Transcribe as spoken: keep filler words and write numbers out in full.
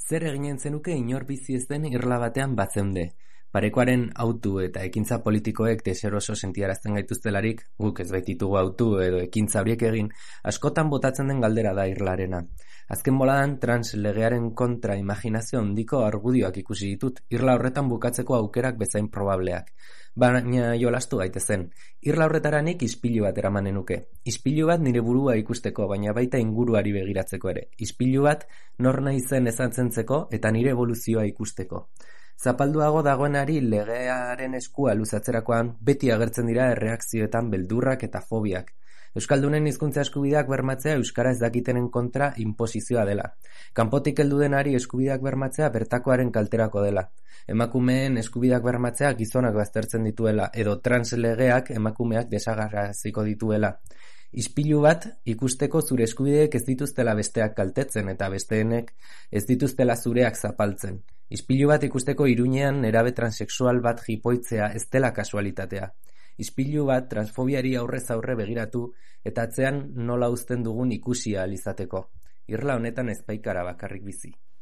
Zer eginen zenuke inor bizi ez den irla batean bazeunde? Parekoaren autu eta ekintza politikoek deseroso sentiarazten gaituztelarik, guk ez baititugu autu edo ekintza horiek egin, askotan botatzen den galdera da irlarena. Azken boladan trans legearen kontra imaginazio handiko argudioak ikusi ditut, irla horretan bukatzeko aukerak bezain probableak. Baina jolastu gaitezen. Irla horretaranik ispilu bat eramanen nuke. Ispilu bat nire burua ikusteko, baina baita inguruari begiratzeko ere. Ispilu bat nor naizen ezantzentzeko eta nire evoluzioa ikusteko. Zapalduago dagoenari legearen eskua luzatzerakoan beti agertzen dira erreakzioetan beldurrak eta fobiak. Euskaldunen hizkuntza eskubideak bermatzea euskara ez dakitenen kontra inposizioa dela. Kanpotik heldu denari eskubideak bermatzea bertakoaren kalterako dela. Emakumeen eskubideak bermatzea gizonak baztertzen dituela edo trans legeak emakumeak desagarraziko dituela. Ispilu bat ikusteko zure eskubideek ez dituztela besteak kaltetzen eta besteenek ez dituztela zureak zapaltzen. Ispilu bat ikusteko Iruñean nerabe transexual bat jipoitzea ez dela kasualitatea. Ispilu bat transfobiari aurrez aurre begiratu eta atzean nola uzten dugun ikusi ahal izateko. Irla honetan ez baikara bakarrik bizi.